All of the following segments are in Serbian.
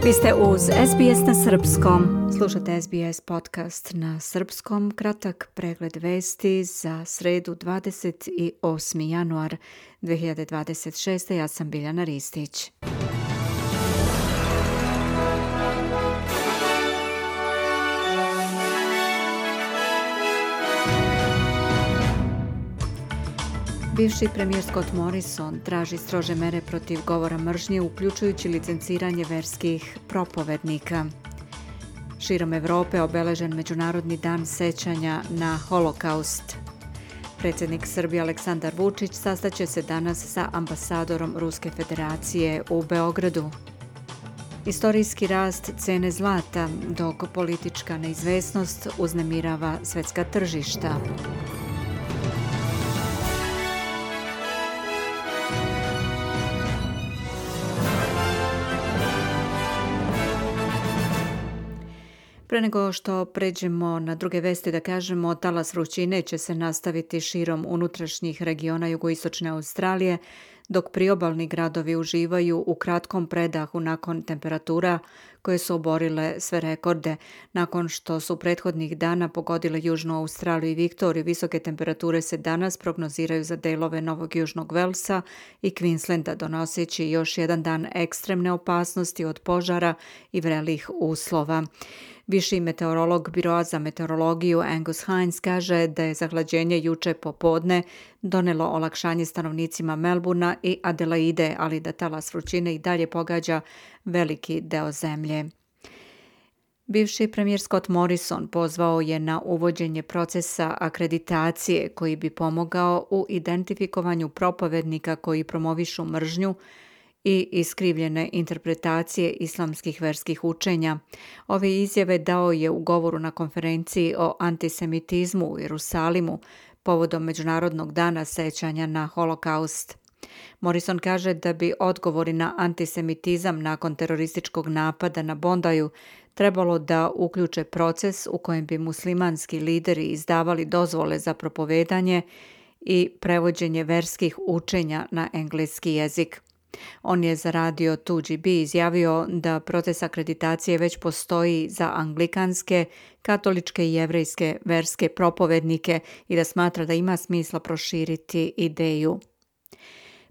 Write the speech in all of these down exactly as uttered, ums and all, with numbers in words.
Vi ste uz S B S na srpskom. Slušate S B S podcast na srpskom. Kratak pregled vesti za sredu dvadeset osmi januar dve hiljade dvadeset šeste. Ja sam Biljana Ristić. Bivši premijer Scott Morrison traži strože mere protiv govora mržnje, uključujući licenciranje verskih propovednika. Širom Evrope obeležen Međunarodni dan sećanja na Holokaust. Predsjednik Srbije Aleksandar Vučić sastaće se danas sa ambasadorom Ruske federacije u Beogradu. Istorijski rast cene zlata, dok politička neizvesnost uznemirava svjetska tržišta. Pre nego što pređemo na druge vesti, da kažemo, talas vrućine će se nastaviti širom unutrašnjih regiona jugoistočne Australije, dok priobalni gradovi uživaju u kratkom predahu nakon temperatura koje su oborile sve rekorde. Nakon što su prethodnih dana pogodile Južnu Australiju i Viktoriju, visoke temperature se danas prognoziraju za delove Novog Južnog Velsa i Queenslanda, donoseći još jedan dan ekstremne opasnosti od požara i vrelih uslova. Viši meteorolog Biroa za meteorologiju Angus Hines kaže da je zahlađenje juče popodne donelo olakšanje stanovnicima Melbourna i Adelaide, ali da talas vrućine i dalje pogađa veliki deo zemlje. Bivši premijer Scott Morrison pozvao je na uvođenje procesa akreditacije koji bi pomogao u identifikovanju propovednika koji promovišu mržnju i iskrivljene interpretacije islamskih verskih učenja. Ove izjave dao je u govoru na konferenciji o antisemitizmu u Jerusalimu povodom Međunarodnog dana sećanja na Holokaust. Morrison kaže da bi odgovori na antisemitizam nakon terorističkog napada na Bondaju trebalo da uključe proces u kojem bi muslimanski lideri izdavali dozvole za propovedanje i prevođenje verskih učenja na engleski jezik. On je za radio two G B izjavio da proces akreditacije već postoji za anglikanske, katoličke i jevrejske verske propovednike i da smatra da ima smisla proširiti ideju.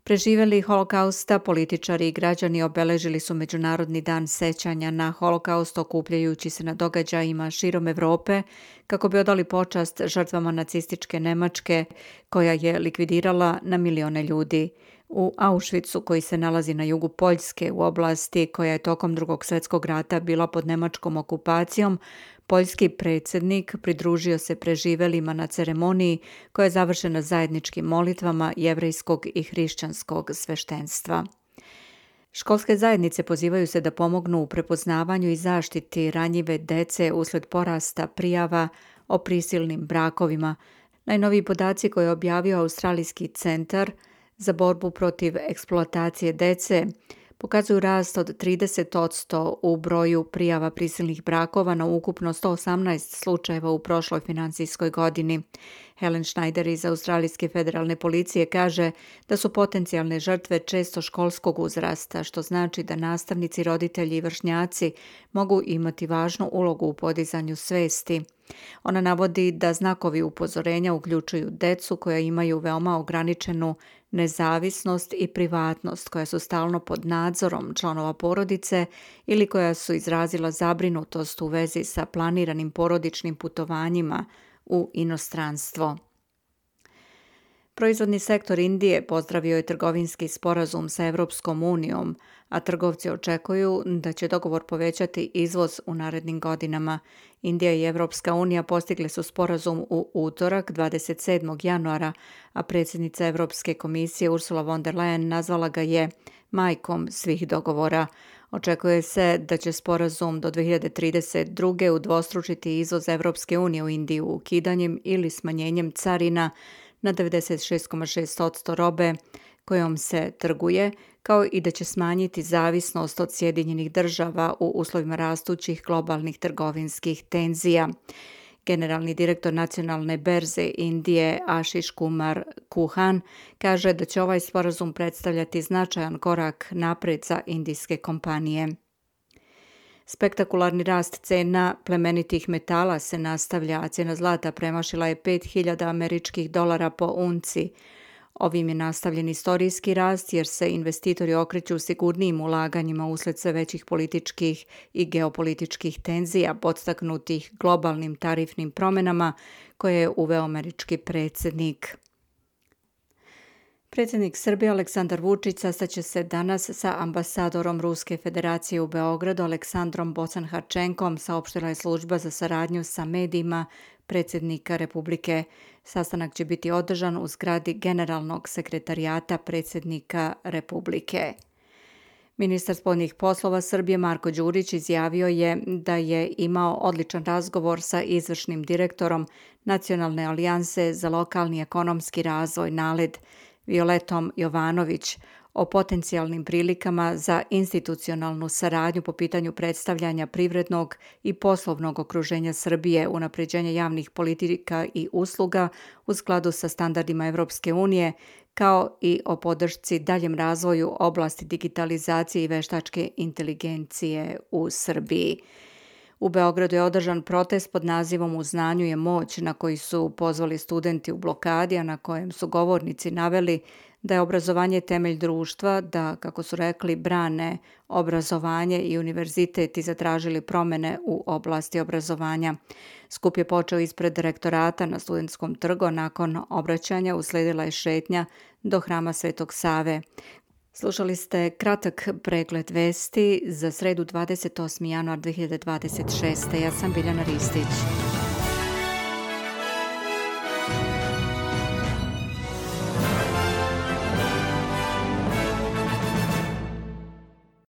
Preživeli Holokausta, političari i građani obeležili su Međunarodni dan sećanja na Holokaust, okupljajući se na događajima širom Evrope kako bi odali počast žrtvama nacističke Nemačke koja je likvidirala na milione ljudi. U Auschwitzu, koji se nalazi na jugu Poljske, u oblasti koja je tokom Drugog svjetskog rata bila pod nemačkom okupacijom, poljski predsjednik pridružio se preživelima na ceremoniji koja je završena zajedničkim molitvama jevrejskog i hrišćanskog sveštenstva. Školske zajednice pozivaju se da pomognu u prepoznavanju i zaštiti ranjive dece usled porasta prijava o prisilnim brakovima. Najnoviji podaci koje je objavio Australijski centar za borbu protiv eksploatacije dece pokazuju rast od trideset posto u broju prijava prisilnih brakova na ukupno sto osamnaest slučajeva u prošloj financijskoj godini. Helen Schneider iz Australijske federalne policije kaže da su potencijalne žrtve često školskog uzrasta, što znači da nastavnici, roditelji i vršnjaci mogu imati važnu ulogu u podizanju svesti. Ona navodi da znakovi upozorenja uključuju decu koja imaju veoma ograničenu nezavisnost i privatnost, koja su stalno pod nadzorom članova porodice ili koja su izrazila zabrinutost u vezi sa planiranim porodičnim putovanjima u inostranstvo. Proizvodni sektor Indije pozdravio je trgovinski sporazum sa Evropskom unijom, a trgovci očekuju da će dogovor povećati izvoz u narednim godinama. Indija i Evropska unija postigli su sporazum u utorak dvadeset sedmog januara, a predsjednica Evropske komisije Ursula von der Leyen nazvala ga je majkom svih dogovora. Očekuje se da će sporazum do dve hiljade trideset druge udvostručiti izvoz Evropske unije u Indiju ukidanjem ili smanjenjem carina na devedeset šest zarez šest posto robe kojom se trguje, kao i da će smanjiti zavisnost od Sjedinjenih država u uslovima rastućih globalnih trgovinskih tenzija. Generalni direktor nacionalne berze Indije Ashish Kumar Kuhan kaže da će ovaj sporazum predstavljati značajan korak napred za indijske kompanije. Spektakularni rast cena plemenitih metala se nastavlja, a cijena zlata premašila je pet hiljada američkih dolara po unci. Ovim je nastavljen istorijski rast jer se investitori okreću sigurnijim ulaganjima usled sve većih političkih i geopolitičkih tenzija podstaknutih globalnim tarifnim promjenama koje je uveo američki predsjednik. Predsjednik Srbije Aleksandar Vučić sastaće se danas sa ambasadorom Ruske federacije u Beogradu Aleksandrom Bocan-Harčenkom, saopštila je služba za saradnju sa medijima predsjednika Republike. Sastanak će biti održan u zgradi Generalnog sekretarijata predsjednika Republike. Ministar spoljnih poslova Srbije Marko Đurić izjavio je da je imao odličan razgovor sa izvršnim direktorom Nacionalne alijanse za lokalni ekonomski razvoj NALED Violetom Jovanović o potencijalnim prilikama za institucionalnu saradnju po pitanju predstavljanja privrednog i poslovnog okruženja Srbije, unapređenja javnih politika i usluga u skladu sa standardima Evropske unije, kao i o podršci daljem razvoju oblasti digitalizacije i veštačke inteligencije u Srbiji. U Beogradu je održan protest pod nazivom U znanju je moć, na koji su pozvali studenti u blokadi, a na kojem su govornici naveli da je obrazovanje temelj društva, da, kako su rekli, brane obrazovanje i univerzitet i zatražili promjene u oblasti obrazovanja. Skup je počeo ispred direktorata na Studentskom trgu, a nakon obraćanja usledila je šetnja do Hrama Svetog Save. Slušali ste kratak pregled vesti za sredu dvadeset osmi januar dve hiljade dvadeset šeste. Ja sam Biljana Ristić.